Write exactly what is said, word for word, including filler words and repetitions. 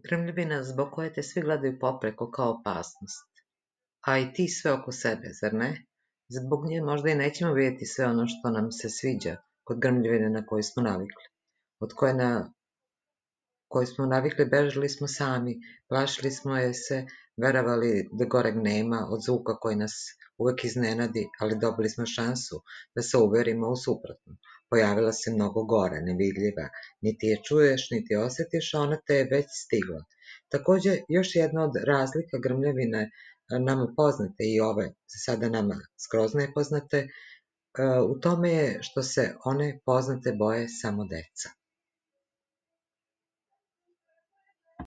Grmljavina zbog koje te svi gledaju popreko kao opasnost, a i ti sve oko sebe, zar ne? Zbog nje možda i nećemo vidjeti sve ono što nam se sviđa kod grmljavine na koju smo navikli. Od koje na koju smo navikli bežali smo sami, plašili smo je se, verovali da goreg nema od zvuka koji nas uvek iznenadi, ali dobili smo šansu da se uverimo u suprotno. Pojavila se mnogo gore, nevidljiva, niti je čuješ, niti je osetiš, a ona te je već stigla. Takođe, još jedna od razlika grmljavine nama poznate i ove za sada nama skroz nepoznate, u tome je što se one poznate boje samo deca.